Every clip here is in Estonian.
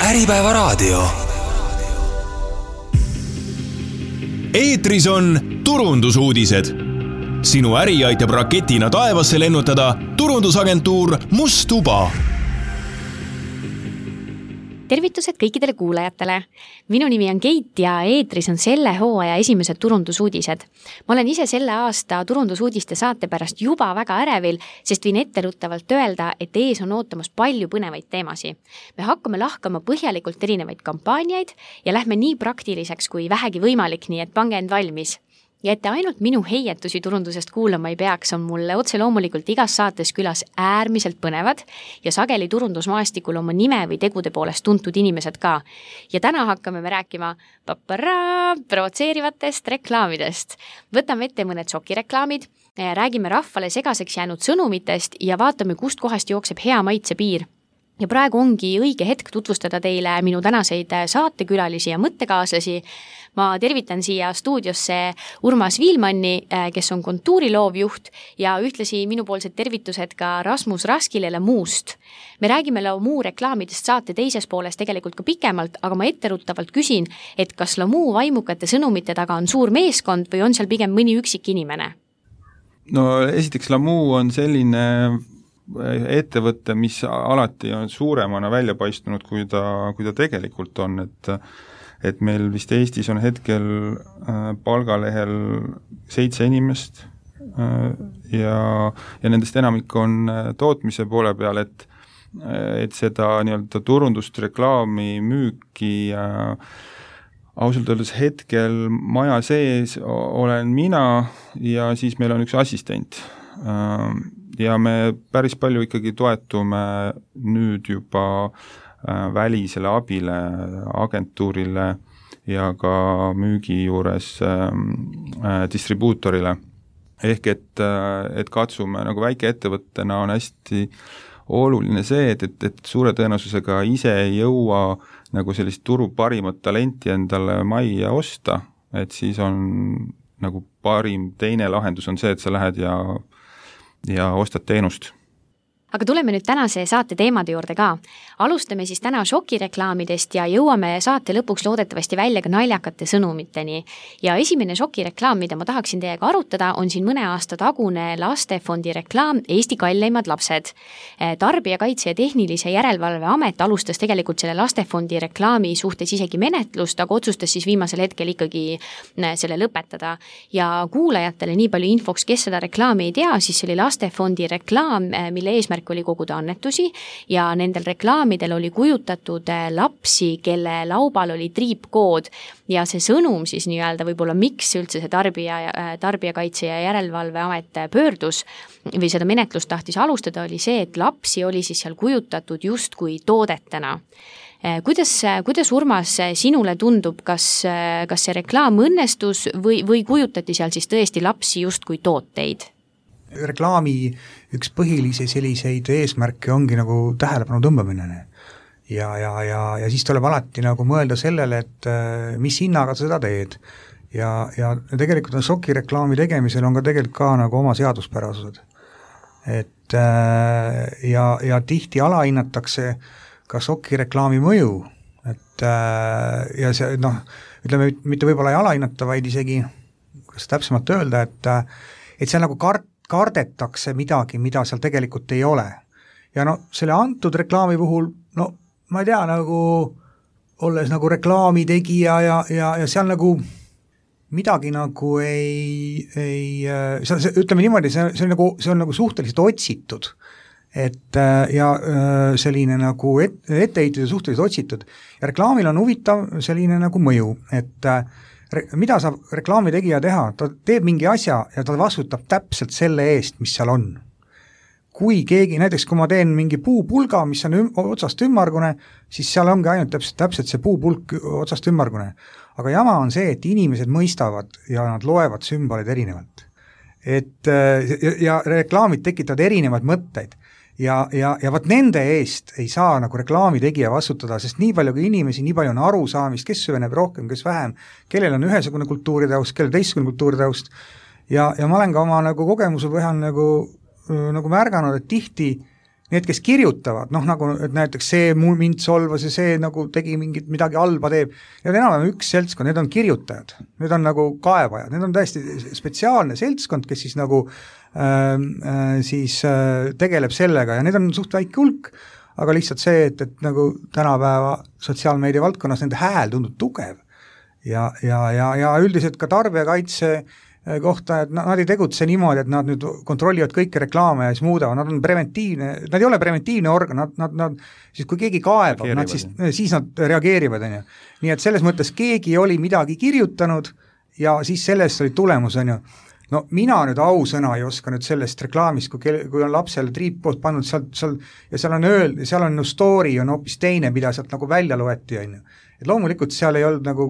Äripäevaraadio. Eetris on turundusuudised. Sinu äri aitab raketina taevasse lennutada turundusagentuur Must Tuba. Tervitused kõikidele kuulajatele. Minu nimi on Keit ja eetris on selle hooaja esimesed turundusuudised. Ma olen ise selle aasta turundusuudiste saate pärast juba väga ärevil, sest võin etteruttavalt öelda, et ees on ootamas palju põnevaid teemasi. Me hakkame lahkama põhjalikult erinevaid kampaaniaid ja lähme nii praktiliseks kui vähegi võimalik, nii et pange end valmis. Ja et te ainult minu heietusi turundusest kuulama ei peaks, on mulle otse loomulikult igas saates külas äärmiselt põnevad ja sageli turundusmaastikul oma nime või tegude poolest tuntud inimesed ka. Ja täna hakkame me rääkima provotseerivatest reklaamidest. Võtame ette mõned šokireklaamid, räägime rahvale segaseks jäänud sõnumitest ja vaatame, kust kohast jookseb hea maitse piir. Ja praegu ongi õige hetk tutvustada teile minu tänaseid saatekülalisi ja mõttekaaslasi. Ma tervitan siia stuudiosse Urmas Viilmanni, kes on kontuuriloovjuht ja ühtlasi minupoolsed tervitused ka Rasmus Raskile Lamuust. Me räägime Lamuu reklaamidest saate teises pooles tegelikult ka pikemalt, aga ma etteruttavalt küsin, et kas Lamuu vaimukate sõnumite taga on suur meeskond või on seal pigem mõni üksik inimene? No esiteks Lamuu on selline ettevõte, mis alati on suuremana välja paistunud, kui ta tegelikult on, et meil vist Eestis on hetkel palgalehel 7 inimest ja nendest enamik on tootmise poole peal, et seda nii-öelda turundust, reklaami, müüki ausalt öeldes hetkel maja sees olen mina ja siis meil on üks assistent. Ja me päris palju ikkagi toetume nüüd juba välisele abile, agentuurile ja ka müügi juures distribuutorile. Ehk et katsume nagu väikeettevõttena on hästi oluline see, et suure tõenäosusega ise ei jõua nagu sellist turu parimat talenti endale majja osta, et siis on nagu parim teine lahendus on see, et sa lähed ja ostad teenust. Aga tuleme nüüd tänase saate teemade juurde ka. Alustame siis täna šokireklaamidest ja jõuame saate lõpuks loodetavasti välja ka naljakate sõnumiteni. Ja esimene šokireklaam, mida ma tahaksin teiega arutada, on siin mõne aasta tagune lastefondi reklaam Eesti kalleimad lapsed. Tarbijakaitse ja tehnilise järelevalve amet alustas tegelikult selle lastefondi reklaami suhtes isegi menetlust, aga otsustas siis viimasel hetkel ikkagi selle lõpetada. Ja kuulajatele nii palju infoks, kes seda reklaami ei tea, siis see oli lastefondi reklaam, mille eesmärk oli koguda annetusi ja nendel reklaamidel oli kujutatud lapsi, kelle laubal oli triipkood ja see sõnum siis nii-öelda võib-olla miks üldse see tarbijakaitse ja järelevalve amet pöördus või seda menetlust tahtis alustada oli see, et lapsi oli siis seal kujutatud justkui toodetena. Kuidas Urmas sinule tundub, kas see reklaam õnnestus või kujutati seal siis tõesti lapsi justkui tooteid? Reklaami üks põhilisi selliseid eesmärke ongi nagu tähelepanu tõmbamine. Ja siis tuleb alati nagu mõelda sellele, et mis hinnaga seda teed. Ja tegelikult on šokireklaami tegemisel on ka tegelikult ka nagu oma seaduspärasused. Et ja tihti alahinnatakse ka šokireklaami mõju. Et ja see, ütleme, mitte võib-olla ei alahinnata, vaid isegi, kas täpsemalt öelda, et see on nagu kardetakse midagi, mida seal tegelikult ei ole. Ja selle antud reklaami puhul, ma ei tea, nagu olles nagu reklaami tegija ja seal nagu midagi nagu ütleme niimoodi, see on nagu suhteliselt otsitud. Ja selline nagu etteheitud ja suhteliselt otsitud. Ja reklaamil on huvitav selline nagu mõju, et mida saab reklaami tegija teha? Ta teeb mingi asja ja ta vastutab täpselt selle eest, mis seal on. Kui keegi, näiteks kui ma teen mingi puupulga, mis on otsast ümmargune, siis seal ongi ainult täpselt see puupulk otsast ümmargune. Aga jama on see, et inimesed mõistavad ja nad loevad sümboleid erinevalt. Ja reklaamid tekitavad erinevad mõtteid. Ja vaat nende eest ei saa nagu reklaami tegija vastutada, sest nii palju kui inimesi, nii palju on arusaamist, kes süveneb rohkem, kes vähem, kellel on ühesugune kultuuritaust, kellel teistsugune kultuuritaust. Ja ma olen ka oma nagu kogemuse põhjal nagu märganud, et tihti need, kes kirjutavad, noh nagu et näiteks see mind solvas ja see nagu tegi midagi halba teeb, need on enam üks seltskond, need on kirjutajad, need on nagu kaevajad, need on täiesti spetsiaalne seltskond, kes siis nagu tegeleb sellega ja need on suht väike hulk, aga lihtsalt see, et nagu tänapäeva sotsiaalmeedia valdkonnas nende hääl tundub tugev ja üldiselt ka tarbijakaitse kohta, et nad ei tegutse niimoodi, et nad nüüd kontrollivad kõiki reklaame ja siis muudavad, nad on preventiivne, nad ei ole preventiivne organ, nad siis kui keegi kaebab, nad siis nad reageerivad, on ju. Nii et selles mõttes keegi oli midagi kirjutanud ja siis sellest oli tulemus, on ju. No mina nüüd ausõna ei oska nüüd sellest reklaamist, kui on lapsele triippost pannud seal on story on hoopis teine, mida sealt nagu välja loeti, on ju. Et loomulikult seal ei olnud nagu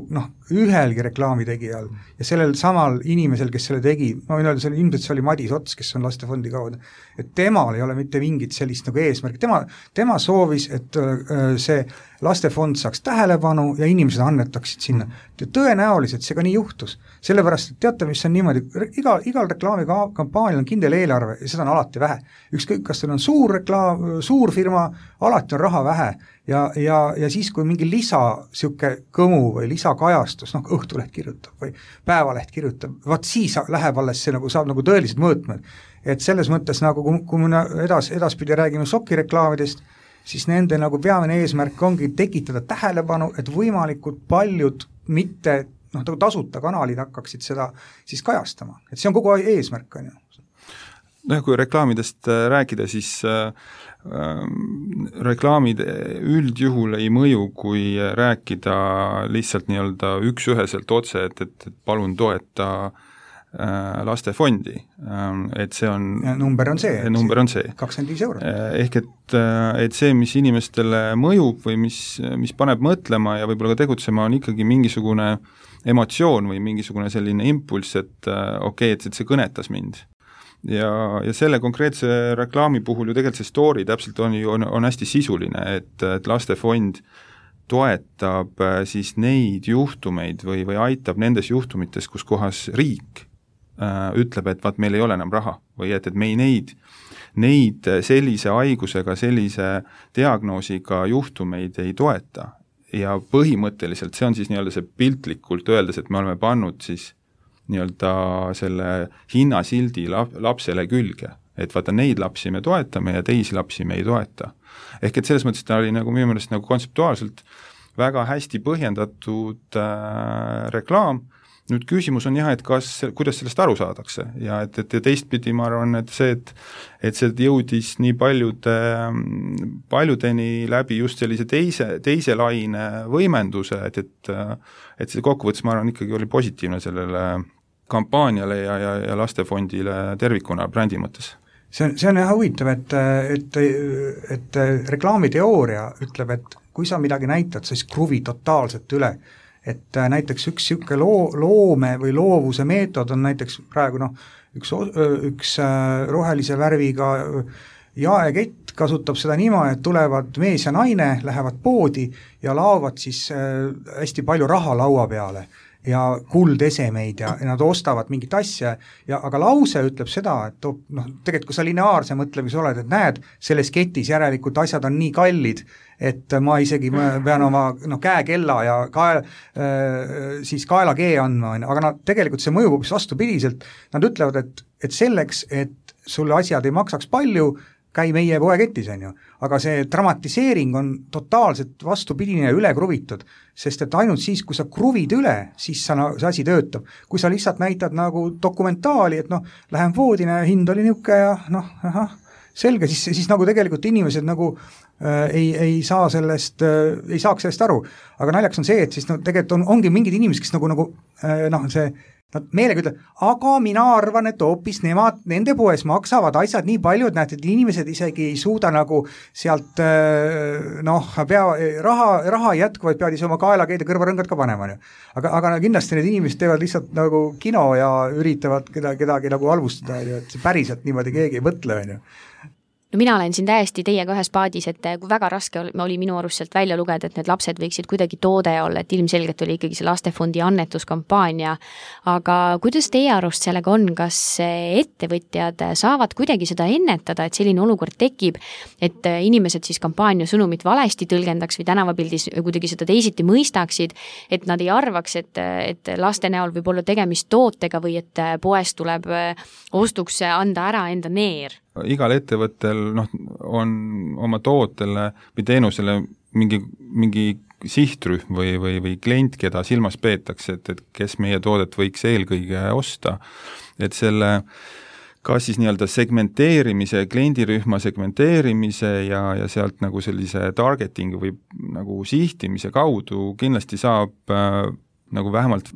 ühelgi reklaamitegijal ja sellel samal inimesel, kes selle tegi, ma võin öelda, ilmselt see oli Madis Ots, kes on Lastefondi kaudu, et temal ei ole mitte mingit sellist nagu eesmärk, tema soovis, et see Lastefond saaks tähelepanu ja inimesed annetaksid sinna. Tõenäoliselt see ka nii juhtus, sellepärast, et teate, mis on niimoodi, igal reklaamikampaanial on kindel eelarve ja seda on alati vähe. Ükskõik, kas teil on suur firma, alati on raha vähe ja siis, kui mingi siuke kõmu või lisakajastus, Õhtuleht kirjutab või Päevaleht kirjutab, vaat siis läheb alles see saab nagu tõelised mõõtmed. Et selles mõttes, kui me edaspidi räägime sokireklaamidest, siis nende nagu peamine eesmärk ongi tekitada tähelepanu, et võimalikult paljud mitte tasuta kanalid hakkaksid seda siis kajastama. Et see on kogu eesmärk, on ju. Kui reklaamidest rääkida, siis reklaamid üldjuhul ei mõju, kui rääkida lihtsalt nii-öelda üks-üheselt otse, et palun toeta Lastefondi, et see on number on see 25 eurot. Ehk et see, mis inimestele mõjub või mis paneb mõtlema ja võib-olla ka tegutsema, on ikkagi mingisugune emotsioon või mingisugune selline impulss, et et see kõnetas mind. Ja selle konkreetse reklaami puhul ju tegelikult see story täpselt on hästi sisuline, et Lastefond toetab siis neid juhtumeid või aitab nendes juhtumites, kus kohas riik ütleb, et vaat meil ei ole enam raha või et me neid sellise haigusega, sellise diagnoosiga juhtumeid ei toeta. Ja põhimõtteliselt see on siis nii-öelda see piltlikult öeldes, et me oleme pannud siis nii-öelda selle hinnasildi lapsele külge, et vaata neid lapsi me toetame ja teisi lapsi me ei toeta. Ehk et selles mõttes ta oli nagu minu meelest nagu kontseptuaalselt väga hästi põhjendatud reklaam. Nüüd küsimus on jah, et kuidas sellest aru saadakse ja et teistpidi ma arvan, et see jõudis nii paljudeni läbi just sellise teise laine võimenduse, et see kokkuvõttes ma arvan ikkagi oli positiivne sellele kampaaniale ja Lastefondile tervikuna brändi mõttes. See on jah huvitav, et reklaamiteooria ütleb, et kui sa midagi näitad, siis kruvi totaalselt üle. Et näiteks üks loome või loovuse meetod on näiteks praegu üks rohelise värviga jaekett kasutab seda niimoodi, et tulevad mees ja naine, lähevad poodi ja laovad siis hästi palju raha laua peale ja kuldesemeid ja nad ostavad mingit asja, aga lause ütleb seda, et tegelikult kui sa lineaarse mõtlemise oled, et näed, selles ketis järelikult asjad on nii kallid, et ma isegi pean oma käekella ja siis kaelakee andma, aga tegelikult see mõjub hoopis vastupidiselt, nad ütlevad, et selleks, et sulle asjad ei maksaks palju, käi meie poeketis, on ju. Aga see dramatiseering on totaalselt vastupidine ja üle kruvitud, sest et ainult siis, kui sa kruvid üle, siis see asi töötab. Kui sa lihtsalt näitad nagu dokumentaali, et lähen voodina ja hind oli niuke ja selge, siis nagu tegelikult inimesed nagu ei saaks sellest aru. Aga naljaks on see, et siis tegelikult ongi mingid inimesed, kes nad meelega ütlevad, aga mina arvan, et hoopis nende poes maksavad asjad nii palju, et näed, et inimesed isegi ei suuda nagu sealt raha jätkuvaid peavad ise oma kaelakeed ja kõrvarõngad ka panema. Aga kindlasti need inimesed teevad lihtsalt nagu kino ja üritavad kedagi nagu halvustada, et see päriselt niimoodi keegi ei mõtle. No mina olen siin täiesti teiega ühes paadis, et kui väga raske oli minu arust sealt välja lugeda, et need lapsed võiksid kuidagi toode olla, et ilmselgelt oli ikkagi see lastefondi annetuskampaania, aga kuidas teie arust sellega on, kas ettevõtjad saavad kuidagi seda ennetada, et selline olukord tekib, et inimesed siis kampaania sõnumit valesti tõlgendaks või tänavapildis kuidagi seda teisiti mõistaksid, et nad ei arvaks, et laste näol võib olla tegemist tootega või et poest tuleb ostuks anda ära enda neer? Igal ettevõttel on oma tootele või teenusele mingi sihtrühm või klient, keda silmas peetakse, et kes meie toodet võiks eelkõige osta. Et selle kas siis nii-öelda segmenteerimise, kliendirühma segmenteerimise ja sealt nagu sellise targeting või nagu sihtimise kaudu kindlasti saab nagu vähemalt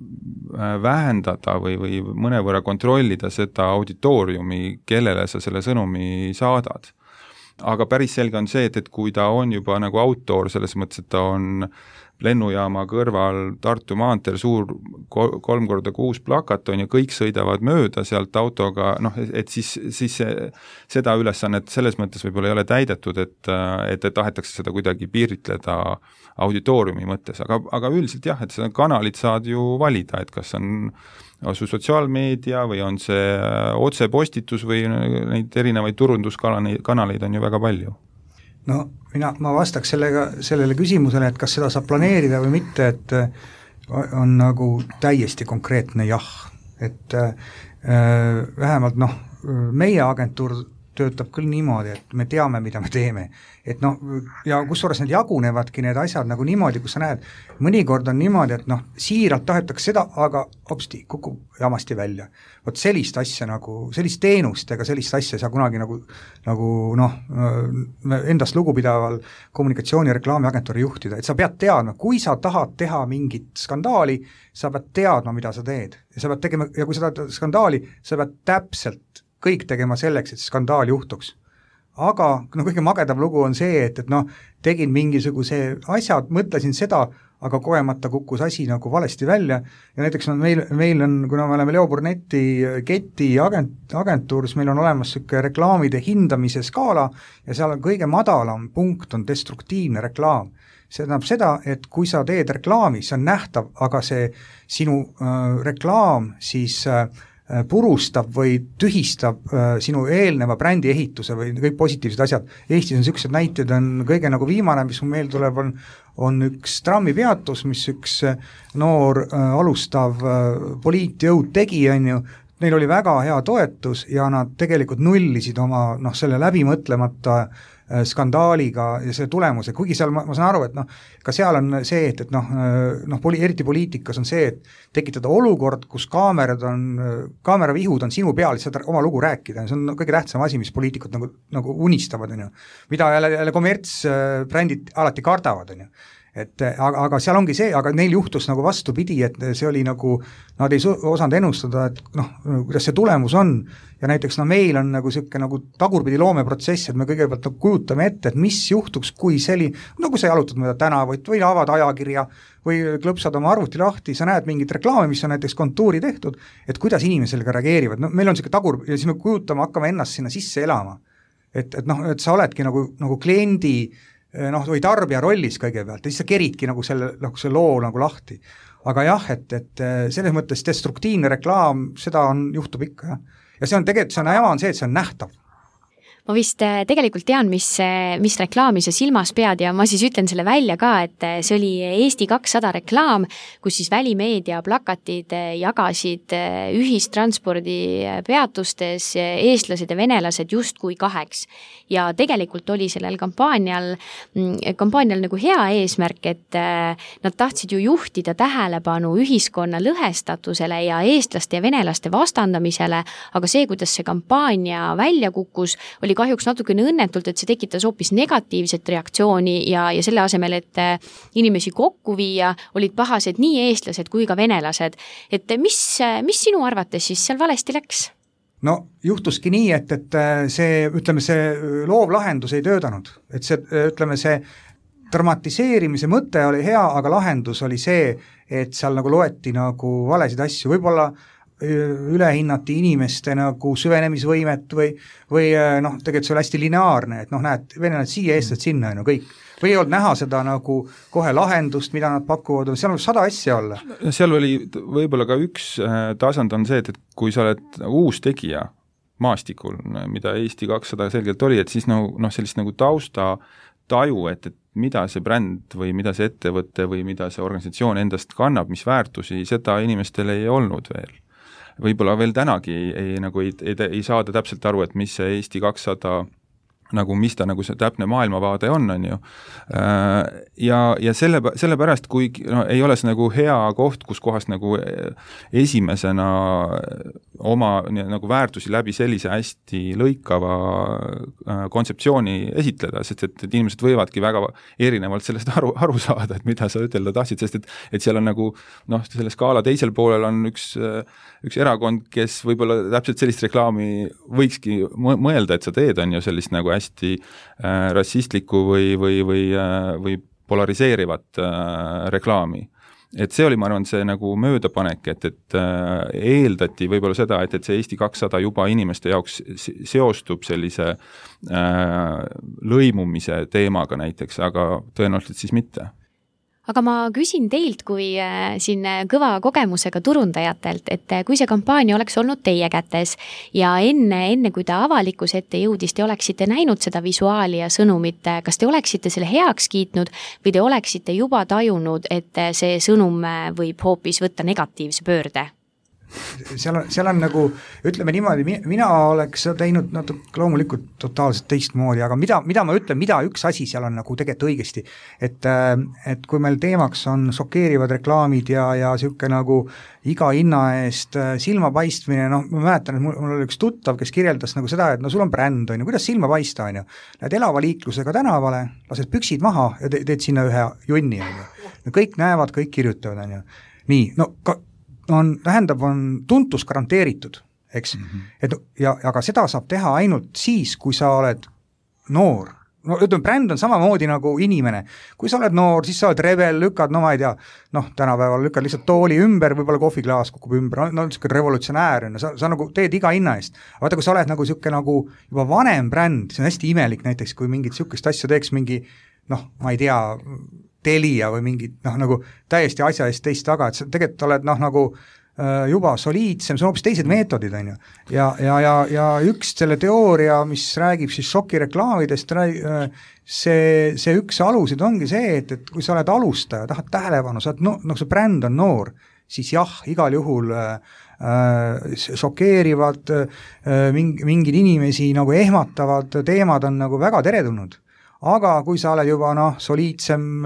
vähendada või mõnevõrra kontrollida seda auditooriumi, kellele sa selle sõnumi saadad. Aga päris selge on see, et kui ta on juba nagu outdoor, selles mõttes, et ta on lennujaama kõrval Tartu maanteel suur 3x6 plakat on ja kõik sõidavad mööda sealt autoga, et siis seda ülesannet selles mõttes võib-olla ei ole täidetud, et tahetakse seda kuidagi piiritleda auditooriumi mõttes, aga üldiselt jah, et seda kanalit saad ju valida, et kas on sotsiaalmeedia või on see otsepostitus või neid erinevaid turunduskanaleid on ju väga palju. No ma vastaks sellele küsimusele, et kas seda saab planeerida või mitte, et on nagu täiesti konkreetne jah, et vähemalt meie agentuur töötab küll niimoodi, et me teame, mida me teeme. Et ja kusjuures need jagunevadki need asjad nagu niimoodi, kus sa näed, mõnikord on niimoodi, et siiralt tahetakse seda, aga hopsti, kukub jamasti välja. Vot sellist asja sellist teenust ega sellist asja ei saa kunagi endast lugupidaval kommunikatsiooni- ja reklaamiagentuuri juhtida, et sa pead teadma, kui sa tahad teha mingit skandaali, sa pead teadma, mida sa teed. Ja sa pead tegema, ja kui sa tahad skandaali, sa pead täpselt kõik tegema selleks, et skandaal juhtuks. Aga kõige magedam lugu on see, et tegin mingisuguse asjad, mõtlesin seda, aga kogemata kukkus asi nagu valesti välja ja näiteks meil on, kuna me oleme Leo Burneti Keti agentuur, siis meil on olemas selline reklaamide hindamise skaala ja seal on kõige madalam punkt on destruktiivne reklaam. See tähendab seda, et kui sa teed reklaami, see on nähtav, aga see sinu reklaam siis purustab või tühistab sinu eelneva brändi ehituse või kõik positiivsed asjad. Eestis on sellised näited, on kõige nagu viimane, mis meil tuleb, on üks trammipeatus, mis üks noor alustav poliitjõud tegi, neil oli väga hea toetus ja nad tegelikult nullisid oma selle läbimõtlemata skandaaliga ja see tulemuse, kuigi seal ma saan aru, et ka seal on see, et eriti poliitikas on see, et tekitada olukord, kus kaameravihud on sinu peal, saad oma lugu rääkida, see on kõige tähtsam asi, mis poliitikud nagu unistavad, mida jälle kommertsbrändid alati kardavad, aga seal ongi see, aga neil juhtus nagu vastupidi, et see oli nagu, nad ei osanud ennustada, et kuidas see tulemus on ja näiteks meil on nagu selline nagu tagurpidi loomeprotsess, et me kõigepealt kujutame ette, et mis juhtuks, kui kui sa jalutad mööda tänavat või avad ajakirja või klõpsad oma arvuti lahti, sa näed mingit reklaami, mis on näiteks kontuuri tehtud, et kuidas inimesed sellega reageerivad, meil on selline tagur ja siis me kujutame, hakkame ennast sinna sisse elama, et sa oledki nagu kliendi või tarbija rollis kõigepealt, ja siis sa keridki nagu selle loo nagu lahti. Aga jah, et selles mõttes destruktiivne reklaam, seda juhtub ikka, jah. Ja see on tegelikult, see on nähtav. Ma vist tegelikult tean, mis reklaami sa silmas pead ja ma siis ütlen selle välja ka, et see oli Eesti 200 reklaam, kus siis välimeedia plakatid jagasid ühistranspordi peatustes eestlased ja venelased justkui kaheks. Ja tegelikult oli sellel kampaanial nagu hea eesmärk, et nad tahtsid ju juhtida tähelepanu ühiskonna lõhestatusele ja eestlaste ja venelaste vastandamisele, aga see, kuidas see kampaania välja kukkus, oli kahjuks natukene õnnetult, et see tekitas hoopis negatiivset reaktsiooni ja selle asemel, et inimesi kokku viia, olid pahased nii eestlased kui ka venelased. Et mis sinu arvates siis seal valesti läks? No juhtuski nii, et see loov lahendus ei töötanud. Et see dramatiseerimise mõte oli hea, aga lahendus oli see, et seal nagu loeti nagu valesid asju. Võib-olla ülehinnati inimeste nagu süvenemisvõimet või noh, tegelikult see oli hästi lineaarne, et noh, näed, venelased siia, eestlased sinna, kõik. Või ei olnud näha seda nagu kohe lahendust, mida nad pakuvad, seal on 100 asja olla. Seal oli võib-olla ka üks tasand on see, et kui sa oled uus tegija maastikul, mida Eesti 200 selgelt oli, et siis sellist nagu tausta taju, et mida see bränd või mida see ettevõte või mida see organisatsioon endast kannab, mis väärtusi, seda inimestel ei olnud veel. Võib-olla veel tänagi ei saada täpselt aru, et mis see Eesti 200 nagu mis ta nagu see täpne maailmavaade on ju. Ja sellepärast, kui ei ole see nagu hea koht, kus kohas nagu esimesena oma nagu väärtusi läbi sellise hästi lõikava kontseptsiooni esitleda, sest et inimesed võivadki väga erinevalt sellest aru saada, et mida sa ütelda tahtsid, sest et seal on nagu selle skaala teisel poolel on üks erakond, kes võib-olla täpselt sellist reklaami võikski mõelda, et sa teed, on ju sellist nagu hästi rassistlikku või polariseerivat reklaami. Et see oli, ma arvan, see nagu möödapanek, et eeldati võib-olla seda, et see Eesti 200 juba inimeste jaoks seostub sellise lõimumise teemaga näiteks, aga tõenäoliselt siis mitte. Aga ma küsin teilt kui siin kõva kogemusega turundajatelt, et kui see kampaania oleks olnud teie kätes ja enne kui ta avalikkuse ette jõudis, te oleksite näinud seda visuaali ja sõnumit, kas te oleksite selle heaks kiitnud või te oleksite juba tajunud, et see sõnum võib hoopis võtta negatiivse pöörde? Seal on nagu, ütleme niimoodi, mina oleks teinud loomulikult totaalselt teistmoodi, aga mida ma ütlen, mida üks asi seal on nagu tegelikult õigesti, et kui meil teemaks on šokeerivad reklaamid ja siuke nagu iga hinna eest silmapaistmine, ma mäletan, et mul oli üks tuttav, kes kirjeldas nagu seda, et sul on bränd, kuidas silma paista, lähed elava liiklusega tänavale, lased püksid maha ja teed sinna ühe junni, kõik näevad, kõik kirjutavad, nii, on tuntus garanteeritud, eks? Aga seda saab teha ainult siis, kui sa oled noor. Ütleme, bränd on samamoodi nagu inimene. Kui sa oled noor, siis sa oled rebel, lükkad, ma ei tea, tänapäeval lükkad lihtsalt tooli ümber, võib-olla kohviklaas kukub ümber, niisugune revolutsionäär, sa nagu teed iga hinna eest. Vaata, kui sa oled nagu siuke nagu juba vanem bränd, see on hästi imelik näiteks, kui mingit siukest asja teeks mingi, ma ei tea, Telia või mingid, nagu täiesti asja eest teist taga, et sa tegelikult oled nagu juba soliidsem, see on hoopis teised meetodid, on ju. Ja üks selle teooria, mis räägib siis šokireklaamidest, see üks alusid ongi see, et kui sa oled alustaja, tahad tähelepanu, sa oled, see bränd on noor, siis jah, igal juhul šokeerivad mingid inimesi nagu ehmatavad teemad on nagu väga teretulnud. Aga kui sa oled juba soliidsem,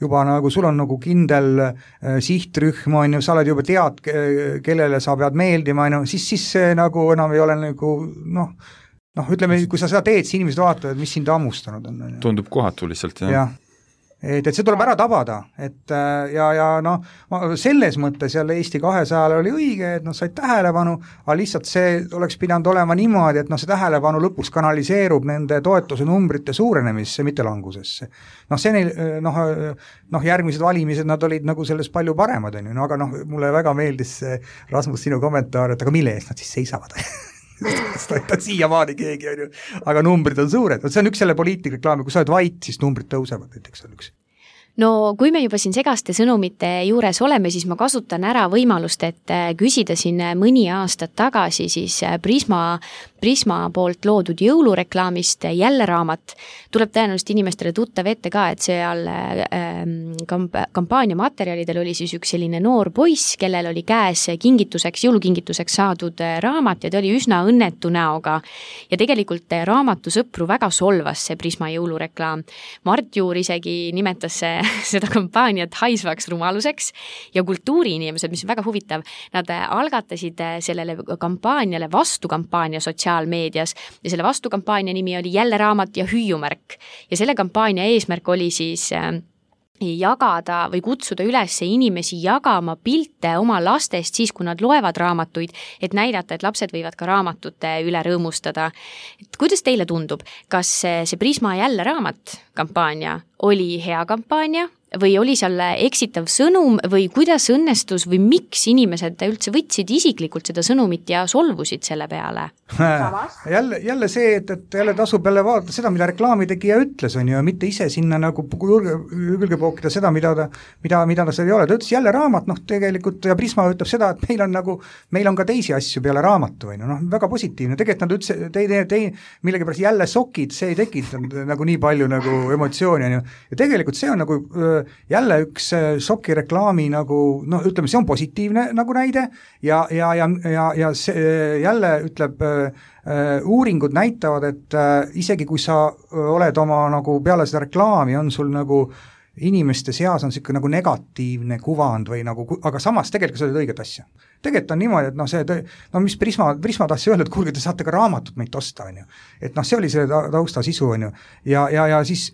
juba nagu sul on nagu kindel sihtrühm, sa oled juba tead, kellele sa pead meeldima, siis see nagu enam ei ole nagu, ütleme, kui sa seda teed, siis inimesed vaatavad, mis sind hammustanud on. Tundub kohatu lihtsalt, jah. Ja. Et see tuleb ära tabada, et selles mõttes jälle Eesti 200 oli õige, et said tähelepanu, aga lihtsalt see oleks pidanud olema niimoodi, et see tähelepanu lõpuks kanaliseerub nende toetuse numbrite suurenemisse, mitte langusesse. See neil, järgmised valimised, nad olid nagu selles palju paremad, aga mulle väga meeldis see, Rasmus, sinu kommentaar, et aga mille eest nad siis seisavad? ta siiamaani keegi on ju, aga numbrid on suured, see on üks selle poliitikreklaami, kui sa oled vait, siis numbrid tõusevad, näiteks on üks. No kui me juba siin segaste sõnumite juures oleme, siis ma kasutan ära võimalust, et küsida siin mõni aastat tagasi siis Prisma poolt loodud jõulureklaamist Jälle raamat. Tuleb tõenäoliselt inimestele tuttav ette ka, et seal kampaania materjalidel oli siis üks selline noor poiss, kellel oli käes jõulukingituseks saadud raamat ja ta oli üsna õnnetu näoga. Ja tegelikult raamatu sõpru väga solvas see Prisma jõulureklaam. Mart Juur isegi nimetas seda kampaaniat haisvaks rumaluseks ja kultuuriinimesed, mis on väga huvitav, nad algatasid sellele kampaaniale vastukampaania sotsiaalmeedias ja selle vastukampaania nimi oli Jälle raamat ja hüüumärk. Ja selle kampaania eesmärk oli siis jagada või kutsuda üles inimesi jagama pilte oma lastest siis, kui nad loevad raamatuid, et näidata, et lapsed võivad ka raamatute üle rõõmustada. Et kuidas teile tundub, kas see Prisma Jälle raamat kampaania oli hea kampaania või oli seal eksitav sõnum või kuidas õnnestus või miks inimesed üldse võtsid isiklikult seda sõnumit ja solvusid selle peale? jälle see, et jälle tasub jälle vaadata seda, mida reklaamitegija ütles, on ju, ja mitte ise sinna nagu külge pookida seda, mida ta seal ei ole. Ta ütles jälle raamat, tegelikult ja Prisma ütleb seda, et meil on ka teisi asju peale raamatu, on ju, väga positiivne. Tegelikult nad ütles, millegipärast jälle sokid, see ei tekitanud nagu nii palju nagu emotsiooni, on ju. Ja tegelikult see on nagu jälle üks soki reklaami nagu, ütleme, see on positiivne nagu näide ja see jälle ütleb, uuringud näitavad, et isegi kui sa oled oma nagu peale seda reklaami, on sul nagu inimeste seas on siuke nagu negatiivne kuvand või nagu, aga samas tegelikult sa oled õiget asja. Tegelikult on niimoodi, et mis Prisma tahtsi öelda, et kuulge, te saate ka raamatut meilt osta, on ju. Et see oli selle tausta sisu, on ju. Ja siis,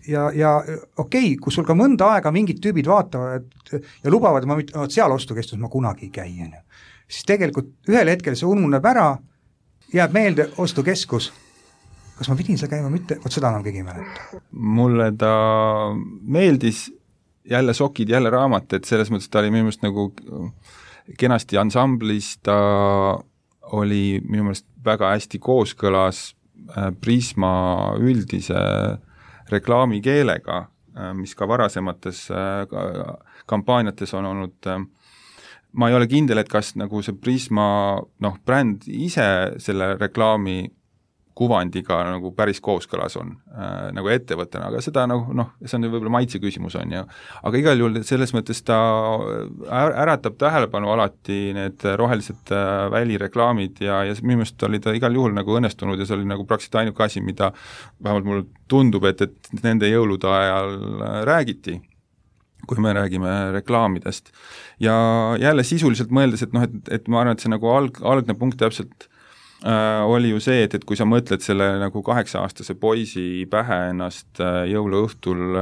okei, kui sul ka mõnda aega mingid tüübid vaatavad ja lubavad, et seal ostukestus ma kunagi ei käi, on ju. Siis tegelikult ühel hetkel see ununeb ära, jääb meelde ostukeskus. Kas ma pidin seal käima mitte? Seda enam keegi ei mäleta. Mulle ta meeldis jälle sokid, jälle raamat, et selles mõttes ta oli minu meelest nagu kenasti ansamblis, ta oli minu meelest väga hästi kooskõlas Prisma üldise reklaamikeelega, mis ka varasemates kampaaniates on olnud. Ma ei ole kindel, et kas nagu see Prisma bränd ise selle reklaami kuvandiga nagu päris kooskõlas on nagu ettevõttena, aga seda see on võib-olla maitse küsimus on ju, aga igal juhul selles mõttes ta äratab tähelepanu alati need rohelised välireklaamid ja minu meelest oli ta igal juhul nagu õnnestunud ja see oli nagu praktiliselt ainuke asi, mida vähemalt mulle tundub, et nende jõulude ajal räägiti, kui me räägime reklaamidest. Ja jälle sisuliselt mõeldes, et ma arvan, et see nagu algne punkt täpselt oli ju see, et kui sa mõtled selle nagu 8-aastase poisi pähe ennast jõuluõhtul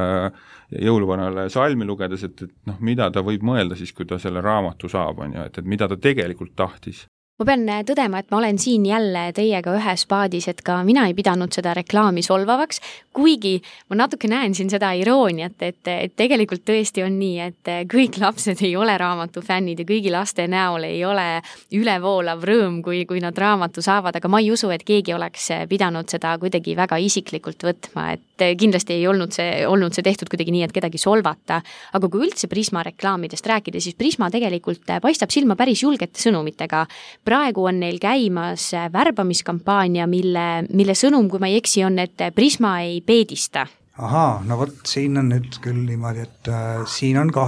jõuluvanale salmi lugedes, et mida ta võib mõelda siis, kui ta selle raamatu saab, on ju, et mida ta tegelikult tahtis. Ma pean tõdema, et ma olen siin jälle teiega ühes paadis, et ka mina ei pidanud seda reklaami solvavaks, kuigi ma natuke näen siin seda irooniat, et tegelikult tõesti on nii, et kõik lapsed ei ole raamatu fännid ja kõigi laste näol ei ole ülevoolav rõõm, kui nad raamatu saavad, aga ma ei usu, et keegi oleks pidanud seda kuidagi väga isiklikult võtma, et kindlasti ei olnud see tehtud kuidagi nii, et kedagi solvata, aga kui üldse Prisma reklaamidest rääkida, siis Prisma tegelikult paistab silma päris julgete sõnumitega. Praegu on neil käimas värbamiskampaania, mille sõnum, kui ma ei eksi, on, et Prisma ei peedista. Ahaa, siin on nüüd küll niimoodi, et siin on ka,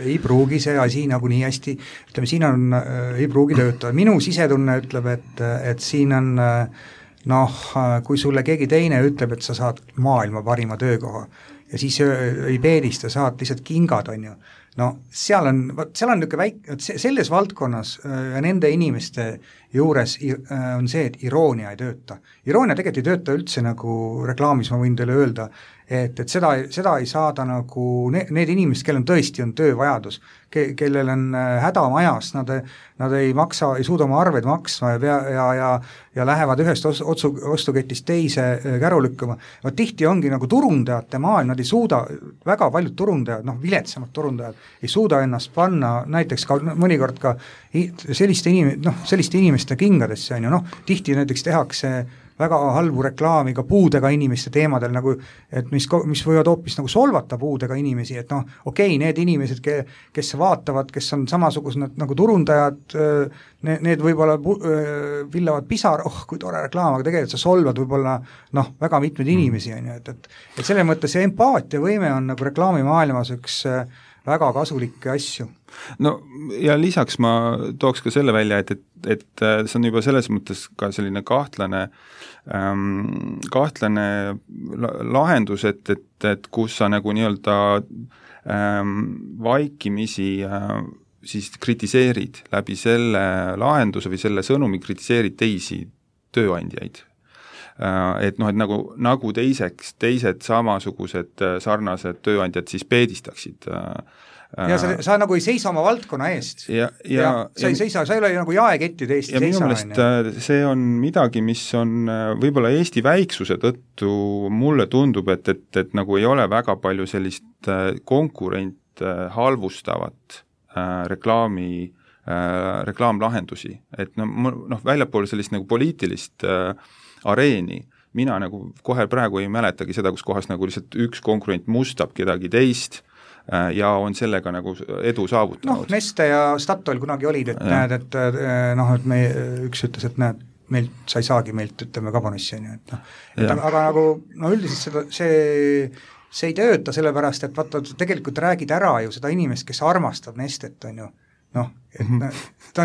ei pruugi see asi nagu nii hästi, ütleme, siin on, ei pruugi töötada. Minu sisetunne ütleb, et siin on, kui sulle keegi teine ütleb, et sa saad maailma parima töökoha ja siis ei peedista, saad lihtsalt kingad, on ju. Seal on niisugune väike, selles valdkonnas ja nende inimeste juures on see, et iroonia ei tööta. Iroonia tegelikult ei tööta üldse nagu reklaamis, ma võin teile öelda, et seda ei saada nagu need inimesed, kellel tõesti on töövajadus, kellel on häda majas, nad ei suuda oma arved maksma ja lähevad ühest ostuketist teise käru lükkama. Tihti ongi nagu turundajate maailm, nad ei suuda, väga paljud turundajad, viletsamad turundajad, ei suuda ennast panna näiteks ka mõnikord ka selliste inimeste kingadesse, on ju, tihti näiteks tehakse väga halbu reklaami ka puudega inimeste teemadel, nagu, et mis võivad hoopis nagu solvata puudega inimesi, et okei, need inimesed, kes vaatavad, kes on samasugused nagu turundajad, need võib-olla villavad pisar, kui tore reklaam, aga tegelikult sa solvad võib-olla väga mitmeid inimesi, on ju, et selle mõttes see empaatiavõime on nagu reklaamimaailmas üks väga kasulikke asju. Ja lisaks ma tooks ka selle välja, et see on juba selles mõttes ka selline kahtlane lahendus, et kus sa nagu nii-öelda vaikimisi siis kritiseerid läbi selle lahenduse või selle sõnumi kritiseerid teisi tööandjaid. et noh, et nagu teised samasugused sarnased tööandjad siis peedistaksid. Ja sa nagu ei seisa oma valdkonna eest. Ja sa ei ole nagu jaekettide eest ja minu meelest see on midagi, mis on võib-olla Eesti väiksuse tõttu mulle tundub, et nagu ei ole väga palju sellist konkurent halvustavat reklaamlahendusi, et väljapool sellist nagu poliitilist areeni, mina nagu kohe praegu ei mäletagi seda, kus kohas nagu lihtsalt üks konkurent mustab kedagi teist ja on sellega nagu edu saavutanud. Neste ja Statoil kunagi olid, et näed, et me üks ütles, et näed, sa ei saagi meilt, ütleme, kabanossi, aga nagu üldiselt see ei tööta sellepärast, et vaata, tegelikult räägid ära ju seda inimest, kes armastab Nestet, on ju, ta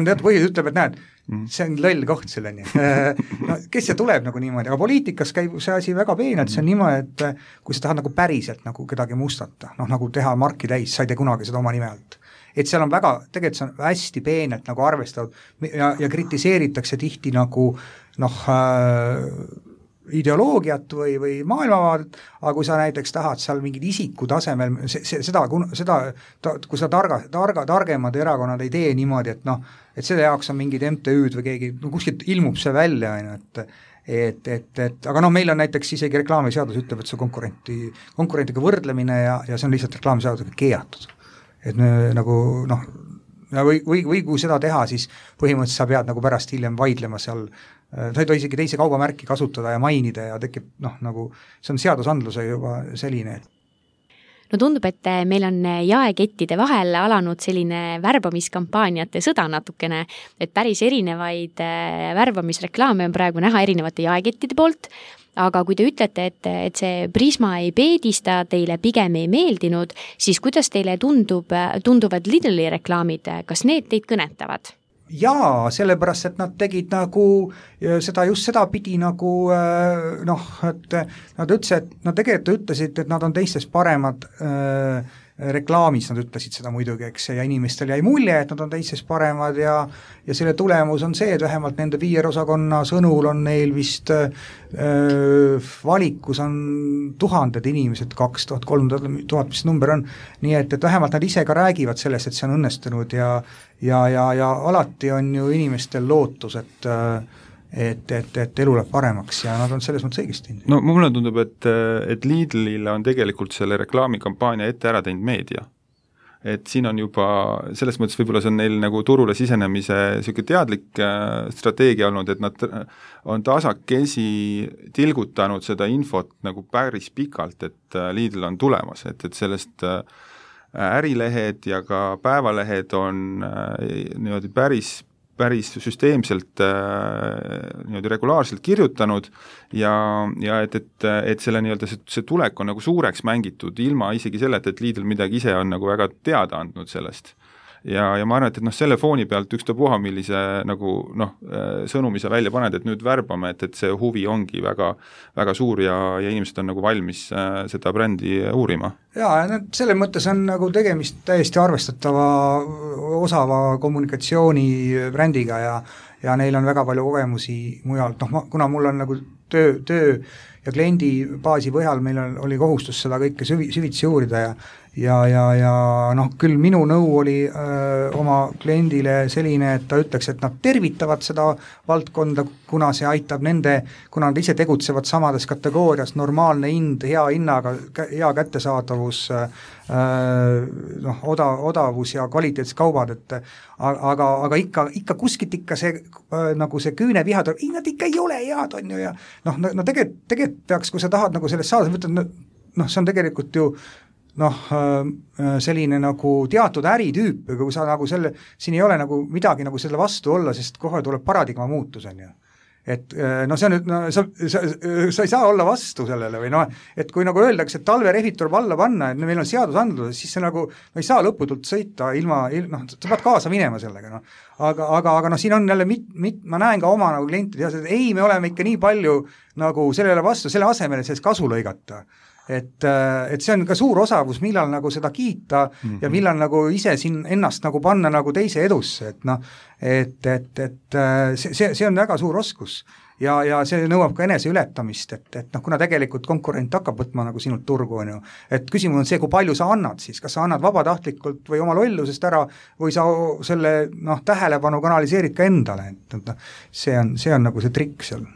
on teatud põhjus, ütleb, et näed, see on loll koht selleni. Kes see tuleb nagu niimoodi, aga poliitikas käib see asi väga peenelt, see on niimoodi, et kui sa tahad nagu päriselt nagu kedagi mustata, nagu teha marki täis, sa ei tee kunagi seda oma nime alt. Et seal on väga, tegelikult see on hästi peenelt nagu arvestatud ja kritiseeritakse tihti nagu ideoloogiat või maailmavaadet, aga kui sa näiteks tahad seal mingid isiku tasemel, kui sa targemad erakonnad ei tee niimoodi, et selle jaoks on mingid MTÜ-d või keegi, kuskilt ilmub see välja, aga meil on näiteks isegi reklaamiseadus ütleb, et see konkurentiga võrdlemine ja see on lihtsalt reklaamiseadusega keelatud. Et nagu või kui seda teha, siis põhimõtteliselt sa pead nagu pärast hiljem vaidlema seal, sa ei tohi isegi teise kaubamärki kasutada ja mainida ja tekib nagu, see on seadusandluse juba selline. No tundub, et meil on jaekettide vahel alanud selline värbamiskampaaniate sõda natukene, et päris erinevaid värbamisreklaame on praegu näha erinevate jaekettide poolt, aga kui te ütlete, et see Prisma ei peedista, teile pigem ei meeldinud, siis kuidas teile tunduvad Lidli reklaamid, kas need teid kõnetavad? Jaa, sellepärast, et nad tegid nagu seda pidi nagu et nad tegelikult ütlesid, et nad on teistest paremad reklaamis, nad ütlesid seda muidugi, eks, ja inimestel jäi mulje, et nad on teistest paremad ja selle tulemus on see, et vähemalt nende PR-osakonna sõnul on neil vist valikus on 1000 inimesed, 2000, 3000, mis number on, nii et vähemalt nad ise ka räägivad sellest, et see on õnnestunud ja alati on ju inimestel lootus, et elu läheb paremaks ja nad on selles mõttes õigesti. No mulle tundub, et Lidlile on tegelikult selle reklaamikampaania ette ära teinud meedia. Et siin on juba, selles mõttes võib-olla see on neil nagu turule sisenemise selline teadlik strateegia olnud, et nad on tasakesi tilgutanud seda infot nagu päris pikalt, et Lidl on tulemas, et sellest ärilehed ja ka päevalehed on niimoodi päris süsteemselt niimoodi regulaarselt kirjutanud ja et selle nii-öelda see tulek on nagu suureks mängitud ilma isegi selleta, et Lidl midagi ise on nagu väga teada andnud sellest. Ja ma arvan, et selle fooni pealt ükstapuha, millise nagu sõnumi sa välja paned, et nüüd värbame, et see huvi ongi väga, väga suur ja inimesed on nagu valmis seda brändi uurima. Jaa, selle mõttes on nagu tegemist täiesti arvestatava osava kommunikatsiooni brändiga ja neil on väga palju kogemusi mujalt, kuna mul on nagu töö ja kliendi baasi põhjal meil oli kohustus seda kõike süvitsi uurida ja küll minu nõu oli oma kliendile selline, et ta ütleks, et nad tervitavad seda valdkonda, kuna see aitab kuna nad ise tegutsevad samades kategoorias, normaalne hind, hea hinnaga, hea kättesaadavus, odavus ja kvaliteetsed kaubad, aga ikka kuskilt see nagu see küüneviha tuleb, nad ikka ei ole head, on ju, ja tegelikult peaks, kui sa tahad nagu sellest saada, see on tegelikult ju selline nagu teatud äritüüp, aga kui sa nagu siin ei ole nagu midagi nagu selle vastu olla, sest kohe tuleb paradigma muutus, on ju. Et see on nüüd, sa ei saa olla vastu sellele või et kui nagu öeldakse, et talverehvid tuleb alla panna, et meil on seadusandlus, siis see nagu ei saa lõputult sõita ilma, sa pead kaasa minema sellega, aga siin on jälle ma näen ka oma nagu klientide ja ei, me oleme ikka nii palju nagu sellele vastu, selle asemel, et sellest kasu lõigata. et see on ka suur osavus, millal nagu seda kiita ja millal nagu ise siin ennast nagu panna nagu teise edusse, et noh, see on väga suur oskus ja see nõuab ka enese ületamist, et noh, kuna tegelikult konkurent hakkab võtma nagu sinult turgu, on ju, et küsimus on see, kui palju sa annad siis, kas sa annad vabatahtlikult või oma lollusest ära või sa selle tähelepanu kanaliseerid ka endale, et see on nagu see trikk seal.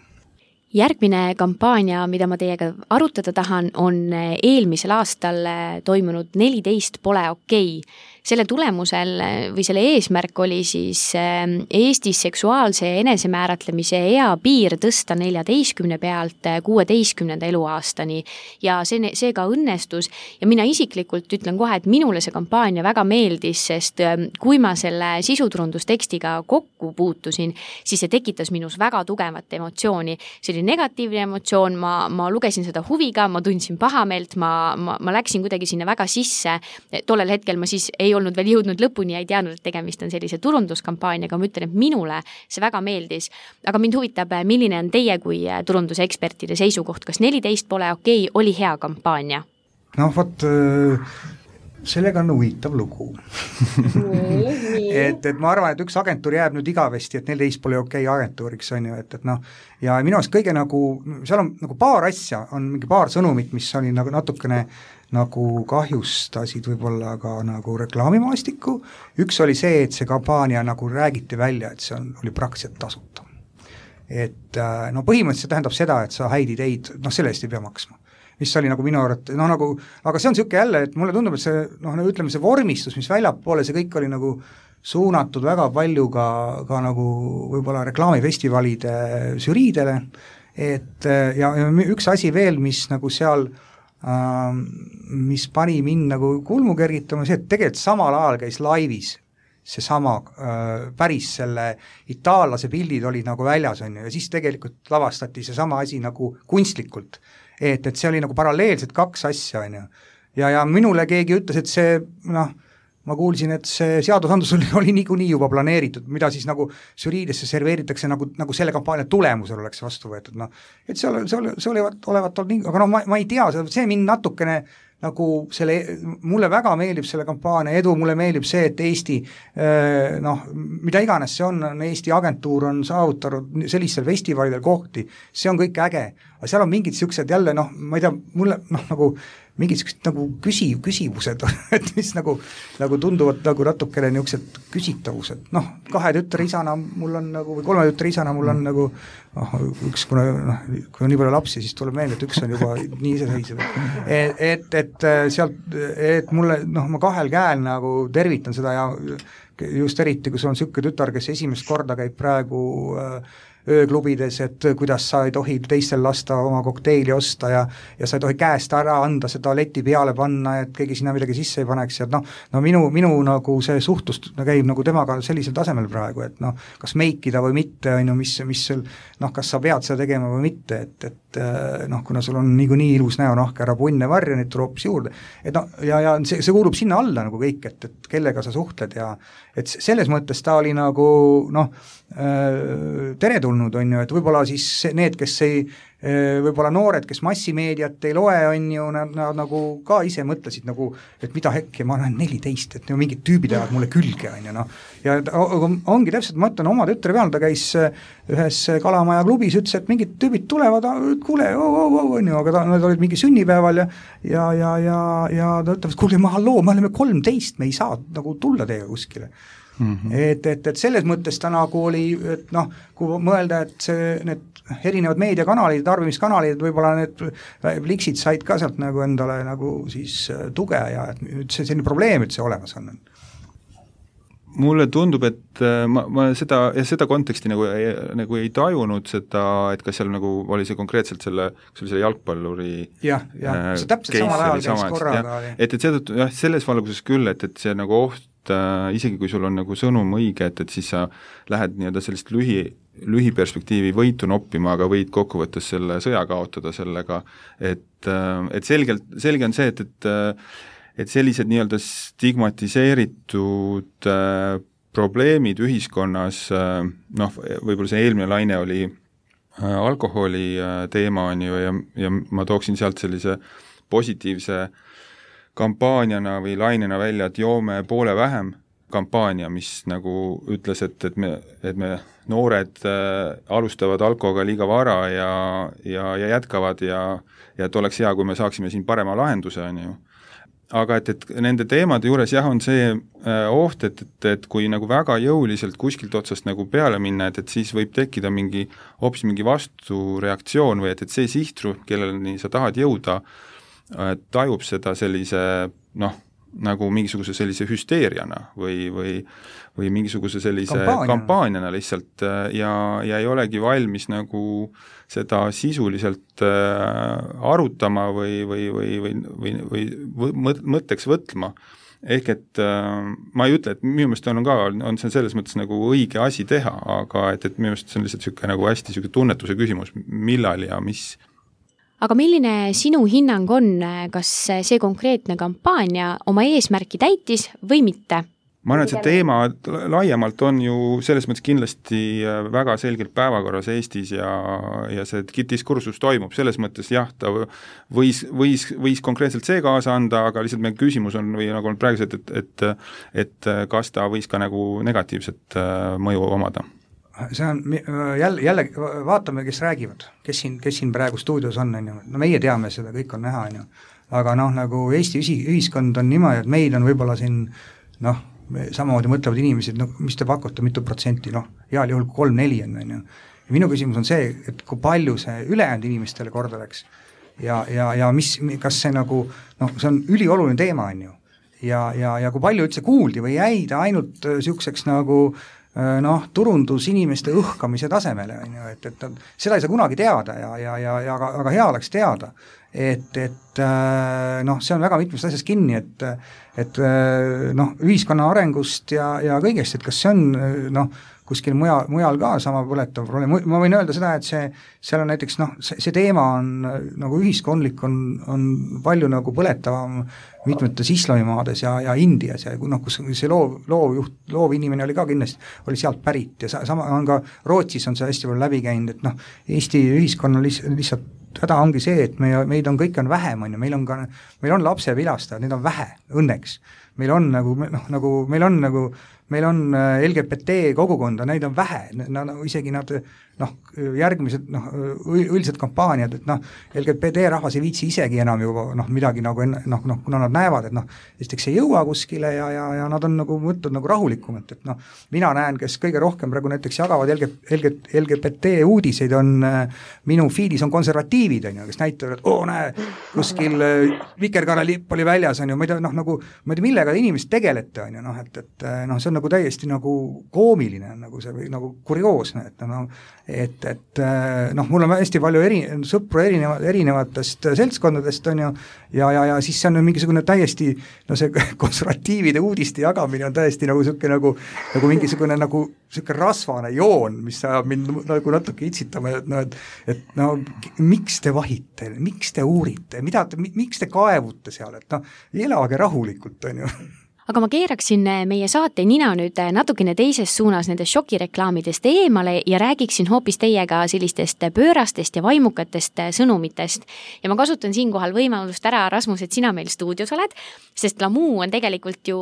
Järgmine kampaania, mida ma teiega arutada tahan, on eelmisel aastal toimunud 14 pole okei. Selle tulemusel või selle eesmärk oli siis Eestis seksuaalse enesemääratlemise eapiir tõsta 14 pealt 16. eluaastani ja see ka õnnestus ja mina isiklikult ütlen kohe, et minule see kampaania väga meeldis, sest kui ma selle sisuturundustekstiga kokku puutusin, siis see tekitas minus väga tugevat emotsiooni. See oli negatiivne emotsioon, ma lugesin seda huviga, ma tundsin pahameelt, ma läksin kuidagi sinna väga sisse. Tollel hetkel ma siis ei olnud veel jõudnud lõpuni ja ei teadnud, et tegemist on sellise turunduskampaaniaga, ma ütlen, et minule see väga meeldis. Aga mind huvitab, milline on teie kui turundusekspertide seisukoht, kas 14 pole okei oli hea kampaania? No vot, sellega on huvitav lugu. et ma arvan, et üks agentuur jääb nüüd igavesti, et 14 pole okei agentuuriks, on ju, et noh, ja minu arust kõige nagu, seal on nagu paar asja, on mingi paar sõnumit, mis oli nagu natukene nagu kahjustasid võib-olla ka nagu reklaamimaastikku. Üks oli see, et see kampaania nagu räägiti välja, et see oli praktiliselt tasuta. Et no põhimõtteliselt tähendab seda, et sa häid ideid, selle eest ei pea maksma. Mis oli nagu minu arvates, nagu, aga see on siuke jälle, et mulle tundub, et see, ütleme see vormistus, mis väljapoole, see kõik oli nagu suunatud väga palju ka nagu võib-olla reklaamifestivalide žüriidele, et ja üks asi veel, mis nagu seal mis pani mind nagu kulmu kergitama, see, et tegelikult samal ajal käis laivis seesama päris selle itaallase pildid olid nagu väljas, on ju, ja siis tegelikult lavastati seesama asi nagu kunstlikult, et see oli nagu paralleelselt kaks asja, on ju, ja minule keegi ütles, et see, ma kuulsin, et see seadusandlus oli niikuinii juba planeeritud, mida siis nagu žüriidesse serveeritakse nagu selle kampaania tulemusel oleks vastu võetud, et see olevat olnud nii, aga ma ei tea, see mind natukene nagu mulle väga meeldib selle kampaania edu, mulle meeldib see, et Eesti, mida iganes see on, Eesti agentuur on saavutanud sellistel festivalidel kohti, see on kõik äge, aga seal on mingid siuksed jälle, ma ei tea, mulle nagu mingid siuksed nagu küsimused, et mis nagu tunduvad nagu natukene niisugused küsitavused, 2 tütre isana mul on nagu, või 3 tütre isana mul on nagu, üks, kui on nii palju lapsi, siis tuleb meelde, et üks on juba nii iseseisev. Et sealt, et mulle, ma 2 käel nagu tervitan seda ja just eriti, kui sul on siuke tütar, kes esimest korda käib praegu ööklubides, et kuidas sa ei tohi teistel lasta oma kokteili osta ja sa ei tohi käest ära anda seda leti peale panna, et keegi sinna midagi sisse ei paneks, et minu nagu see suhtlus käib nagu temaga sellisel tasemel praegu, et kas meikida või mitte, on ju, mis kas sa pead seda tegema või mitte, et kuna sul on niikuinii ilus näonahk, ära punne varja, neid tuleb hoopis juurde, et ja see kuulub sinna alla nagu kõik, et kellega sa suhtled ja et selles mõttes ta oli nagu teretulnud, on ju, et võib-olla siis need, kes ei, võib-olla noored, kes massimeediat ei loe, on ju, nad nagu ka ise mõtlesid nagu, et mida hekki, ma olen 14, et mingid tüübid ajavad mulle külge, on ju, ja ongi täpselt, ma ütlen oma tütre peal, ta käis ühes Kalamaja klubis, ütles, et mingid tüübid tulevad, kuule, on ju, aga nad olid mingi sünnipäeval ja ta ütleb, kuule, halloo, me oleme 13, me ei saa nagu tulla teiega kuskile. Et selles mõttes ta nagu oli, et kui mõelda, et need erinevad meediakanalid, tarbimiskanalid, võib-olla need liksid said ka sealt nagu endale nagu siis tuge ja et see selline probleem, et see olemas on. Mulle tundub, et ma seda konteksti nagu ei tajunud seda, et kas seal nagu oli see konkreetselt selle jalgpalluri see täpselt samal ajal käis korraga. Et seetõttu, selles valguses küll, et see nagu oht, isegi kui sul on nagu sõnum õige, et siis sa lähed nii-öelda sellist lühiperspektiivi võitu noppima, aga võid kokkuvõttes selle sõja kaotada sellega, et selge on see, et sellised nii-öelda stigmatiseeritud probleemid ühiskonnas, võib-olla see eelmine laine oli alkoholi teema, on ju, ja ma tooksin sealt sellise positiivse kampaaniana või lainena välja, et joome poole vähem kampaania, mis nagu ütles, et me noored alustavad alkoga liiga vara ja jätkavad ja et oleks hea, kui me saaksime siin parema lahenduse, on ju. Aga et nende teemade juures jah, on see oht, et kui nagu väga jõuliselt kuskilt otsast nagu peale minna, et siis võib tekkida hoopis mingi vastureaktsioon või et see sihtrühm, kelleni sa tahad jõuda, tajub seda sellise nagu mingisuguse sellise hüsteeriana või mingisuguse sellise kampaaniana lihtsalt ja ei olegi valmis nagu seda sisuliselt arutama või mõtteks võtma. Ehk et ma ei ütle, et minu meelest on see selles mõttes nagu õige asi teha, aga et minu meelest see on lihtsalt niisugune nagu hästi niisugune tunnetuse küsimus, millal ja mis. Aga milline sinu hinnang on, kas see konkreetne kampaania oma eesmärki täitis või mitte? Ma arvan, et see teema laiemalt on ju selles mõttes kindlasti väga selgelt päevakorras Eestis ja see diskursus toimub, selles mõttes jah, ta võis konkreetselt see kaasa anda, aga lihtsalt meie küsimus on või nagu on praegu see, et kas ta võis ka nagu negatiivset mõju omada. See on jälle vaatame, kes räägivad, kes siin praegu stuudios on, no meie teame seda, kõik on näha, aga nagu Eesti ühiskond on niimoodi, et meid on võib-olla siin samamoodi mõtlevad inimesed, mis te pakute, mitu protsenti, heal juhul 3-4 on. Ja minu küsimus on see, et kui palju see ülejäänud inimestele korda läks ja kas see nagu, see on ülioluline teema, on ju, ja kui palju üldse kuuldi või jäi ta ainult siukseks nagu turundus inimeste õhkamise tasemele, on ju, et seda ei saa kunagi teada aga hea oleks teada, et see on väga mitmest asjast kinni, et ühiskonna arengust ja kõigest, et kas see on kuskil mujal ka sama põletav probleem. Ma võin öelda seda, et seal on näiteks, see teema on nagu ühiskondlik on palju nagu põletavam mitmetes islamimaades ja Indias ja kus see loov inimene oli ka kindlasti, oli sealt pärit ja sama on ka Rootsis on see hästi palju läbi käinud, et Eesti ühiskonna lihtsalt häda ongi see, et meid on kõike on vähem, on ju, meil on lapsevilastajad, need on vähe, õnneks. Meil on LGBT kogukonda, neid on vähe, isegi nad järgmised üldsed kampaaniad, et LGBT rahvas ei viitsi isegi enam juba midagi nagu kuna nad näevad, et esiteks ei jõua kuskile ja nad on nagu mõtted nagu rahulikumalt, et mina näen, kes kõige rohkem praegu näiteks jagavad LGBT uudiseid on minu feedis on konservatiivid, on ju, kes näitavad, et näe, kuskil vikerkaarelipp oli väljas, on ju, ma ei tea, millega inimesed tegelete, on ju, et see on nagu täiesti nagu koomiline, nagu see või nagu kurioosne, et mul on hästi palju sõpru erinevatest seltskondadest, on ju, ja siis see on mingisugune täiesti, see konservatiivide uudiste jagamine on täiesti nagu selline nagu mingisugune nagu selline rasvane joon, mis ajab mind nagu natuke itsitama, et miks te vahite, miks te uurite, miks te kaevute seal, et elage rahulikult, on ju. Aga ma keeraksin meie saate nina nüüd natukene teises suunas nendest šokireklaamidest eemale ja räägiksin hoopis teiega sellistest pöörastest ja vaimukatest sõnumitest. Ja ma kasutan siinkohal võimalust ära, Rasmus, et sina meil stuudios oled, sest Lamu on tegelikult ju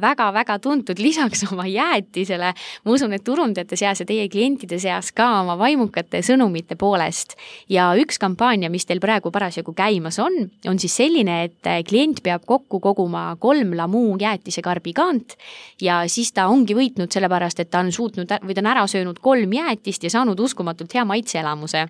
väga-väga tuntud lisaks oma jäätisele. Ma usun, et turundajate seas ja teie klientide seas ka oma vaimukate sõnumite poolest. Ja üks kampaania, mis teil praegu parasjagu käimas on siis selline, et klient peab kokku koguma 3 Lamu jäätisekarbi kaant ja siis ta ongi võitnud sellepärast, et ta on suutnud või ta on ära söönud 3 jäätist ja saanud uskumatult hea maitseelamuse.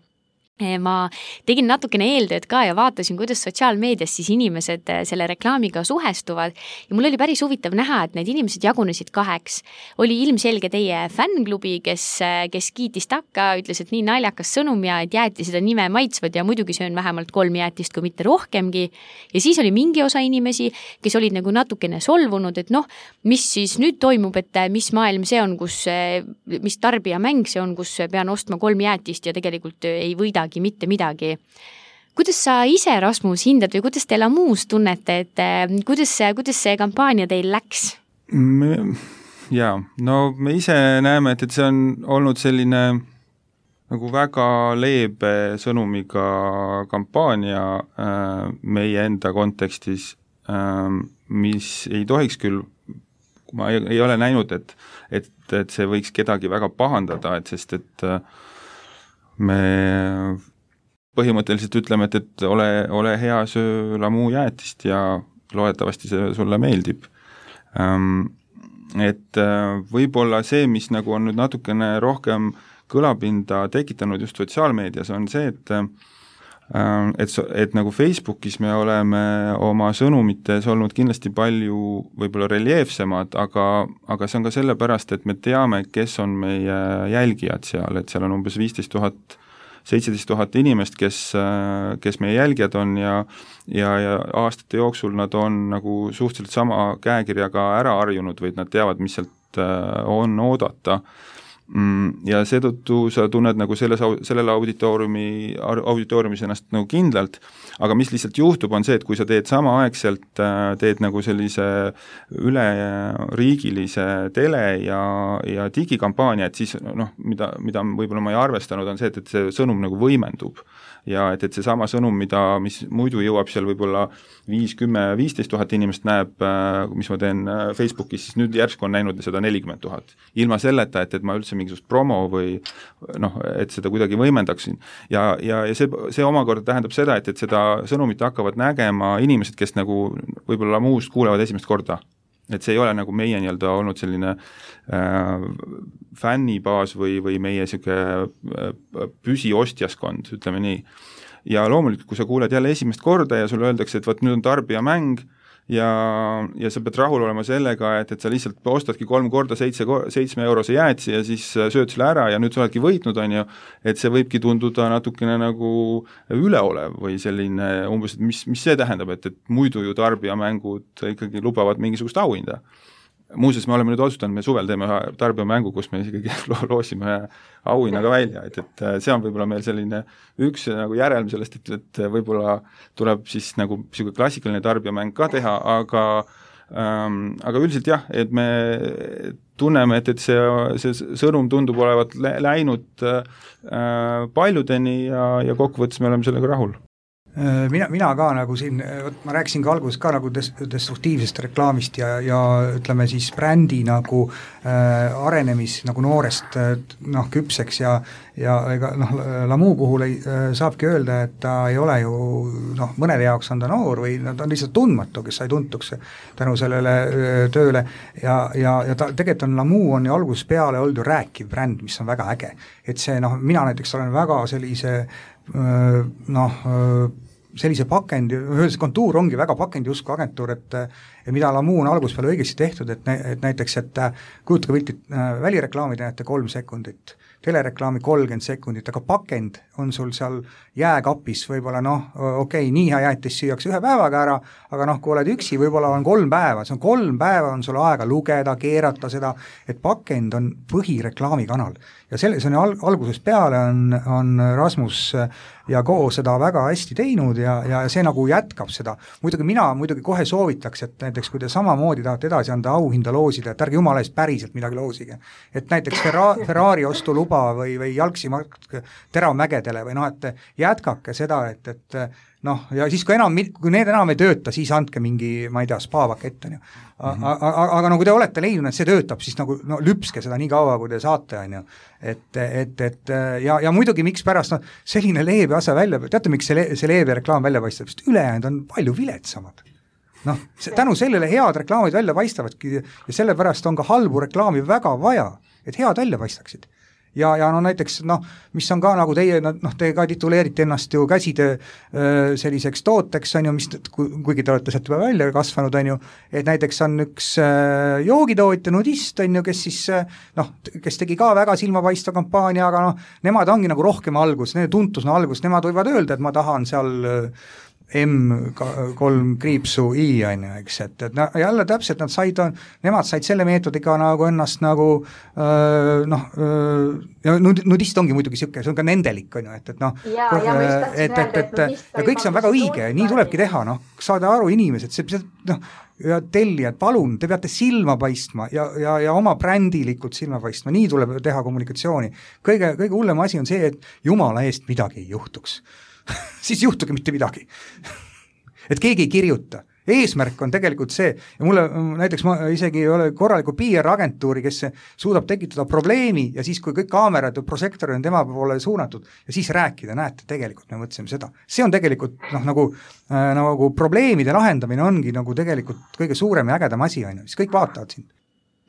Ma tegin natukene eeltööd ka ja vaatasin, kuidas sotsiaalmeedias siis inimesed selle reklaamiga suhestuvad ja mul oli päris huvitav näha, et need inimesed jagunesid 2. Oli ilmselge teie fännklubi, kes kiitis takka, ütles, et nii naljakas sõnum ja et jäätised on nime maitsvad ja muidugi söön vähemalt 3 jäätist, kui mitte rohkemgi. Ja siis oli mingi osa inimesi, kes olid nagu natukene solvunud, et mis siis nüüd toimub, et mis maailm see on, mis tarbijamäng see on, kus pean ostma 3 jäätist ja tegelikult ei võidagi mitte midagi. Kuidas sa ise, Rasmus, hindad või kuidas te Lamuus tunnete, et kuidas see kampaania teil läks? Me ise näeme, et see on olnud selline nagu väga leebe sõnumiga kampaania meie enda kontekstis, mis ei tohiks küll, ma ei ole näinud, et see võiks kedagi väga pahandada, sest me põhimõtteliselt ütleme, et ole hea, söö Lamu jäätist ja loodetavasti see sulle meeldib. Et võib-olla see, mis nagu on nüüd natukene rohkem kõlapinda tekitanud just sotsiaalmeedias, on see, et nagu Facebookis me oleme oma sõnumites olnud kindlasti palju võib-olla reljeefsemad, aga see on ka sellepärast, et me teame, kes on meie jälgijad seal, et seal on umbes 17 000 inimest, kes meie jälgijad on ja aastate jooksul nad on nagu suhteliselt sama käekirjaga ära harjunud või nad teavad, mis sealt on oodata. Ja seetõttu sa tunned nagu sellele auditooriumis ennast nagu kindlalt, aga mis lihtsalt juhtub, on see, et kui sa teed samaaegselt, teed nagu sellise üleriigilise tele ja digikampaania, et siis mida võib-olla ma ei arvestanud, on see, et see sõnum nagu võimendub ja et see sama sõnum, mis muidu jõuab seal võib-olla 5, 10, 15 000 inimest näeb, mis ma teen Facebookis, siis nüüd järsku on näinud seda 40 000. Ilma selleta, et ma üldse mingisugust promo või et seda kuidagi võimendaksin. Ja see omakorda tähendab seda, et seda sõnumit hakkavad nägema inimesed, kes nagu võib-olla muust kuulevad esimest korda. Et see ei ole nagu meie nii-öelda olnud selline fännibaas või meie püsiostjaskond, ütleme nii. Ja loomulikult, kui sa kuuled jälle esimest korda ja sulle öeldakse, et nüüd on tarbijamäng ja sa pead rahul olema sellega, et sa lihtsalt ostadki 3 korda 7 eurose jäätsi ja siis sööd selle ära ja nüüd sa oledki võitnud, on ju, et see võibki tunduda natukene nagu üleolev või selline umbes, et mis see tähendab, et muidu ju tarbijamängud ikkagi lubavad mingisugust auhinda. Muuseas, me oleme nüüd otsustanud, me suvel teeme ühe tarbijamängu, kus me ikkagi loosime ühe auhinnaga välja, et see on võib-olla meil selline üks nagu järelm sellest, et võib-olla tuleb siis nagu selline klassikaline tarbijamäng ka teha, aga üldiselt jah, et me tunneme, et see sõnum tundub olevat läinud paljudeni ja kokkuvõttes me oleme sellega rahul. Mina ka nagu siin, ma rääkisin ka alguses ka nagu destruktiivsest reklaamist ja ütleme siis brändi nagu arenemis nagu noorest küpseks ja ega Lamu puhul saabki öelda, et ta ei ole ju mõnede jaoks on ta noor või ta on lihtsalt tundmatu, kes sai tuntuks tänu sellele tööle ja ta tegelikult on Lamu on ju alguses peale olnud ju rääkiv bränd, mis on väga äge, et see mina näiteks olen väga sellise pakendi, see kontuur ongi väga pakendi usku agentuur, et mida Lamu on alguses peale õigesti tehtud, et näiteks, et kujutage pilti, välireklaamid näete 3 sekundit, telereklaami 30 sekundit, aga pakend on sul seal jääkapis võib-olla nii hea jäätis süüakse 1 päevaga ära, aga kui oled üksi, võib-olla on 3 päeva, see on 3 päeva on sul aega lugeda, keerata seda, et pakend on põhireklaamikanal ja see on algusest peale on Rasmus ja Ko seda väga hästi teinud ja see nagu jätkab seda. Mina kohe soovitaks, et näiteks kui te samamoodi tahate edasi anda auhinda loosida, et ärge jumala eest päriselt midagi loosige. Et näiteks Ferrari ostuluba või jalgsi Teramägedele või et jätkake seda, et ja siis kui need enam ei tööta, siis andke mingi, ma ei tea, spa-pakett on ju. Aga kui te olete leidnud, et see töötab, siis lüpske seda nii kaua, kui te saate, on ju. Ja muidugi miks pärast selline leebe asja välja, teate miks see leebe reklaam välja paistab, sest ülejäänud on palju viletsamad. Tänu sellele head reklaamid välja paistavadki ja sellepärast on ka halbu reklaami väga vaja, et head välja paistaksid. Ja näiteks, mis on ka nagu te ka tituleerite ennast ju käsitöö selliseks tooteks, on ju, mis, kuigi te olete sealt juba välja kasvanud, on ju, et näiteks on üks joogitootja nudist, on ju, kes siis, kes tegi ka väga silmapaistva kampaania, aga nemad ongi nagu rohkem algus, nende tuntus on algus, nemad võivad öelda, et ma tahan seal M3 kriipsu I, on ju, eks, et jälle täpselt nemad said selle meetodiga nagu ennast nagu ja nudist ongi muidugi siuke, see on ka nendelik, on ju, et kõik see on väga õige, nii tulebki teha, saada aru inimesed, ja tellijad, palun, te peate silma paistma ja oma brändilikult silma paistma, nii tuleb teha kommunikatsiooni. Kõige hullem asi on see, et jumala eest midagi ei juhtuks. Siis juhtugi mitte midagi. Et keegi ei kirjuta. Eesmärk on tegelikult see, ja mulle näiteks ma isegi ei ole korraliku PR-agentuuri, kes suudab tekitada probleemi ja siis, kui kõik kaamerad ja prosektorid on tema poole suunatud ja siis rääkida, näete, tegelikult me mõtlesime seda. See on tegelikult nagu probleemide lahendamine ongi nagu tegelikult kõige suurem ja ägedam asi, siis kõik vaatavad sind.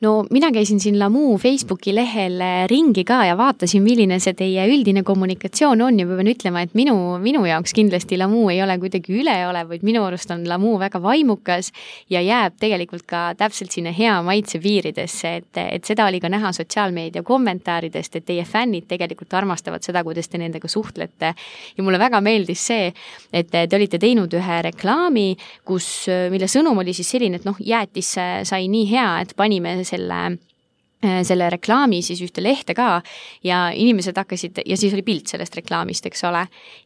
No mina käisin siin Lamu Facebooki lehel ringi ka ja vaatasin, milline see teie üldine kommunikatsioon on ja pean ütlema, et minu jaoks kindlasti Lamu ei ole kuidagi üleolev, vaid minu arust on Lamu väga vaimukas ja jääb tegelikult ka täpselt sinna hea maitse piiridesse, et seda oli ka näha sotsiaalmeedia kommentaaridest, et teie fännid tegelikult armastavad seda, kuidas te nendega suhtlete ja mulle väga meeldis see, et te olite teinud ühe reklaami, mille sõnum oli siis selline, et jäätis sai nii hea, et panime selle reklaami siis ühte lehte ka ja inimesed hakkasid, ja siis oli pilt sellest reklaamist, eks ole,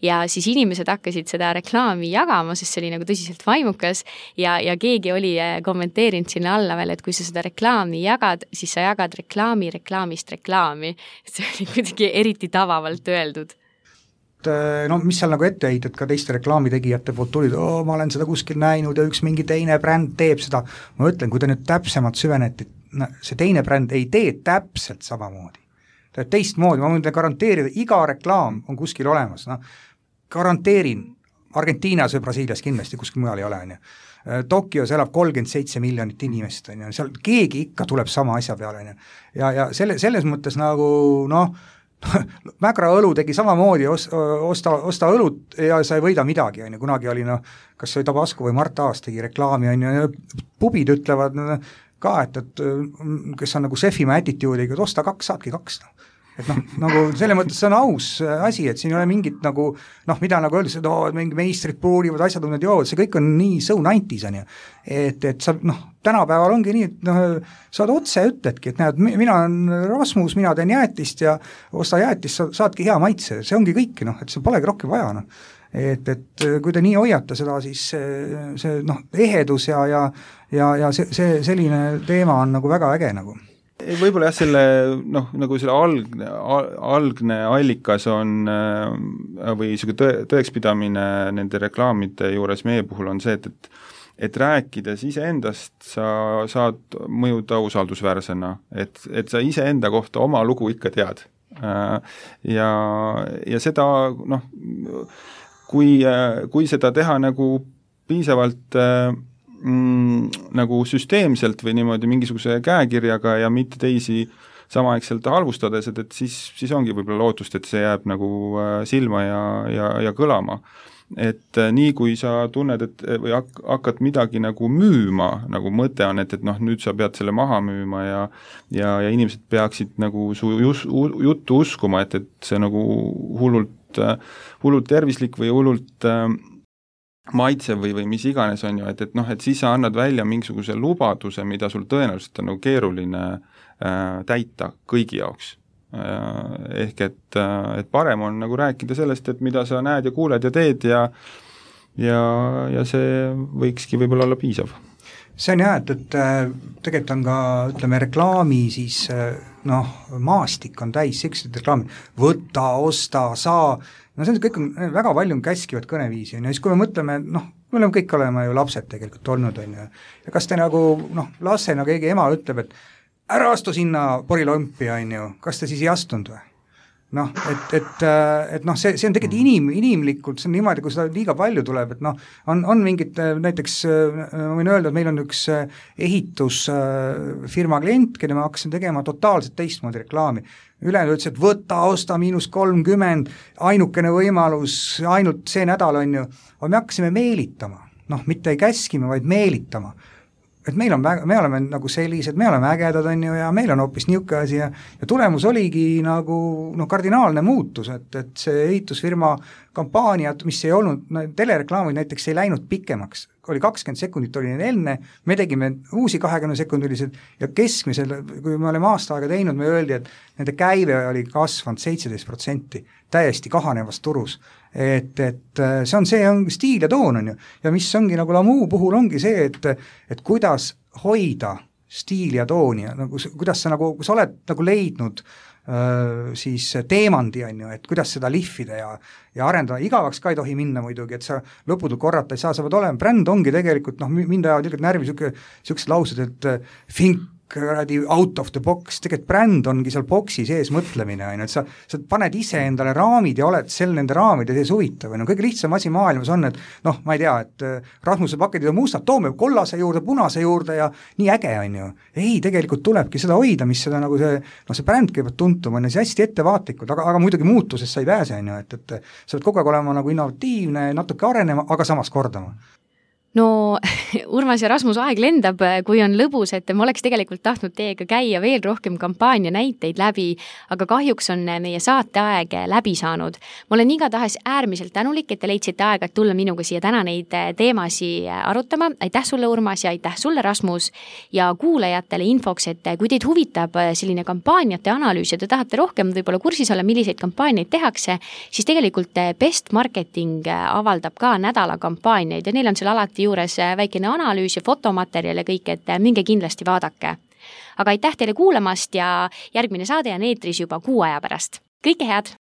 ja siis inimesed hakkasid seda reklaami jagama, sest see oli nagu tõsiselt vaimukas ja keegi oli kommenteerinud sinna alla veel, et kui sa seda reklaami jagad, siis sa jagad reklaami reklaamist reklaami. See oli kuidagi eriti tavavalt öeldud. No mis seal nagu etteheited ka teiste reklaamitegijate poolt tulid, ma olen seda kuskil näinud ja üks mingi teine bränd teeb seda, ma ütlen, kui te nüüd täpsemalt süveneti, see teine bränd ei tee täpselt samamoodi, ta teeb teistmoodi, ma võin garanteerida, iga reklaam on kuskil olemas, garanteerin, Argentiinas või Brasiilias kindlasti kuskil mujal ei ole, Tokios elab 37 miljonit inimest, seal keegi ikka tuleb sama asja peale, ja selles mõttes nagu Mägra õlu tegi samamoodi, osta õlut ja sa ei võida midagi, kunagi oli, kas see oli Tabasco või Mart Aas tegi reklaami, pubid ütlevad ka, et kes on nagu sefima attitude'iga, et osta 2, saadki 2. Et nagu selle mõttes see on aus asi, et siin ei ole mingit nagu, mida nagu öeldes, et mingi meistrid puurivad, asjad on need jood, see kõik on nii so 90s, et sa, tänapäeval ongi nii, et saad otse ütledki, et näed, mina olen Rasmus, mina teen jäätist ja osta jäätist, saadki hea maitse, see ongi kõik, et see polegi rohkem vaja, et kui te nii hoiate seda, siis see ehedus ja see selline teema on nagu väga äge nagu. Võib-olla jah, selle, nagu selle algne allikas on või tõekspidamine nende reklaamide juures meie puhul on see, et rääkides iseendast sa saad mõjuda usaldusväärsena, et sa iseenda kohta oma lugu ikka tead. Ja seda, kui seda teha nagu piisavalt nagu süsteemselt või niimoodi mingisuguse käekirjaga ja mitte teisi samaaegselt halvustades, et siis ongi võib-olla lootust, et see jääb nagu silma ja kõlama. Et nii kui sa tunned, et või hakkad midagi nagu müüma, nagu mõte on, et nüüd sa pead selle maha müüma ja inimesed peaksid nagu su juttu uskuma, et see nagu hullult tervislik või hullult maitsev või mis iganes on ju, et siis sa annad välja mingisuguse lubaduse, mida sul tõenäoliselt on nagu keeruline täita kõigi jaoks. Ehk et parem on nagu rääkida sellest, et mida sa näed ja kuuled ja teed ja see võikski võib-olla olla piisav. See on jah, et tegelikult on ka, ütleme, reklaami siis, maastik on täis, sellised reklaamid, võta, osta, saa, see on kõik väga palju käskivad kõneviisi, ja siis kui me mõtleme, me oleme kõik olema ju lapsed tegelikult olnud, ja kas te nagu, lastena keegi ema ütleb, et ära astu sinna porilompi, kas te siis ei astunud või? See on tegelikult inimlikult, see on niimoodi, kui seda liiga palju tuleb, et on mingid, näiteks ma võin öelda, et meil on üks ehitusfirma klient, kelle me hakkasime tegema totaalselt teistmoodi reklaami. Ülejäänud ütles, et võta, osta -30, ainukene võimalus, ainult see nädal on ju, aga me hakkasime meelitama, mitte ei käskima, vaid meelitama. Et me oleme nagu sellised, me oleme ägedad on ju, ja meil on hoopis niisugune asi ja tulemus oligi nagu kardinaalne muutus, et see ehitusfirma kampaaniad, mis ei olnud, telereklaamid näiteks ei läinud pikemaks, oli 20 sekundit oli neil enne, me tegime uusi 20-sekundilised ja keskmisel, kui me oleme aasta aega teinud, me öeldi, et nende käive oli kasvanud 17%, täiesti kahanevas turus. Et see on stiil ja toon on ju, ja mis ongi nagu Lamu puhul ongi see, et kuidas hoida stiili ja tooni ja nagu, kuidas sa nagu, kui sa oled nagu leidnud siis teemandi on ju, et kuidas seda lihvida ja arendada, igavaks ka ei tohi minna muidugi, et sa lõputult korrata ei saa, sa pead olema, bränd ongi tegelikult, mind ajavad tegelikult närvi siuksed laused, et think out of the box, tegelikult bränd ongi seal boksi sees mõtlemine, et sa paned ise endale raamid ja oled nende raamide sees huvitav, kõige lihtsam asi maailmas on, et ma ei tea, et Rasmuse pakendid on mustad, toome kollase juurde, punase juurde ja nii äge on ju. Ei, tegelikult tulebki seda hoida, mis seda nagu see bränd kõigepealt tuntum on ja see hästi ettevaatlikud, aga muidugi muutusest sa ei pääse on ju, et sa pead kogu aeg olema nagu innovatiivne, natuke arenema, aga samas kordama. No Urmas ja Rasmus, aeg lendab, kui on lõbus, et ma oleks tegelikult tahtnud teiega käia veel rohkem kampaania näiteid läbi, aga kahjuks on meie saateaeg läbi saanud. Ma olen igatahes äärmiselt tänulik, et te leidsite aega, et tulla minuga siia täna neid teemasi arutama. Aitäh sulle, Urmas, ja aitäh sulle, Rasmus, ja kuulajatele infoks, et kui teid huvitab selline kampaaniate analüüs ja te tahate rohkem võib-olla kursis olla, milliseid kampaaniaid tehakse, siis tegelikult Best Marketing avaldab ka nädala kampaaniaid ja neil on seal alati juures väikene analüüs ja fotomaterjal ja kõik, et minge kindlasti vaadake. Aga aitäh teile kuulamast ja järgmine saade on eetris juba 6 aja pärast. Kõike head!